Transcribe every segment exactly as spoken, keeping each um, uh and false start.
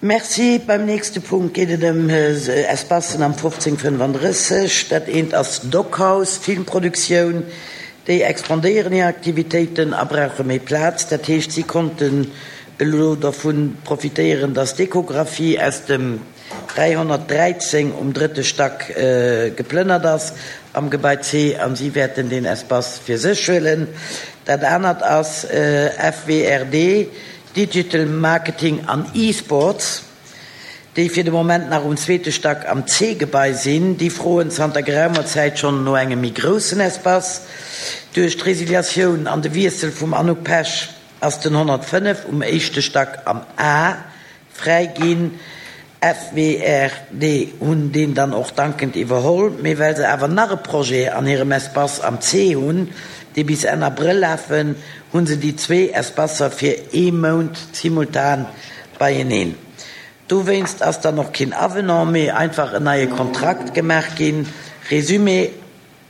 Merci. Beim nächste Punkt geet et ëm Espacen am fofzéng fënnefandrësseg. Dat eent ass Dockhaus, Filmproduktioun. Déi expandéieren hir Aktivitéiten a brauche méi Plaz. Dat heescht, si konnten elo dervu profitéieren, dass d'Echographie aus dem dräihonnertdräizéng um drëtte Stack geplënnert ass am Gebai C an si wäerten deen Espace fir sech huelen. Dat anert ass F W R D, Digital Marketing an E-Sports, déi fir de Moment nach um zweete Stack am C-Gebai sinn. Déi froen zanter geraumer Zäit schonn no engem méi groussen Espace. Duerch d'Resiliatioun an de Wiessel vum Anouk Pesch ass den honnertfënnef um éischte Stack am A fräi ginn. F W R D hunn deen dann och dankend iwwerholl, mee well se awer nach e Projet an hirem Espace am C hunn, dee bis Enn Abrëll lafen, hu se déi zwee Espacer fir ee Mount simultan beieneen. Dowéinst ass dann och keen Avenant, mee einfach en neie Kontrakt gemaach ginn. Resumé,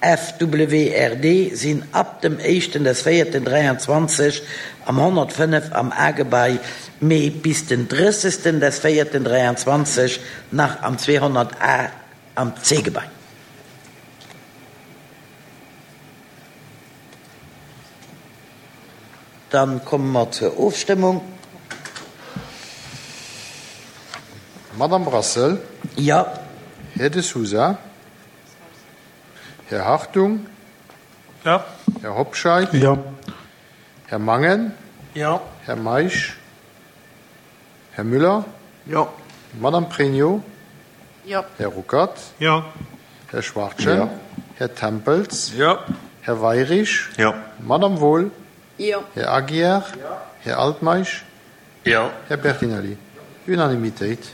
F W R D sinn ab dem éischten des véierten dräianzwanzeg am honnertfënnef am A-Gebai, mee bis den drëssegsten des véierten dräianzwanzeg nach am zweehonnert A am C-Gebai. Dann komme mer zur Ofstëmmung. Madame Brassel? Jo. Här De Sousa? Här Hartung? Jo. Här Hobscheit? Jo. Här Mangen? Jo. Här Meisch? Här Müller? Jo. Madame Pregno? Jo. Här Ruckert? Jo. Här Schwachtgen? Jo. Här Tempels? Jo. Här Weirich? Jo. Madame Wohl? Jo. Här Aguiar? Jo. Här Altmeisch? Jo. Här Bertinelli? Unanimitéit.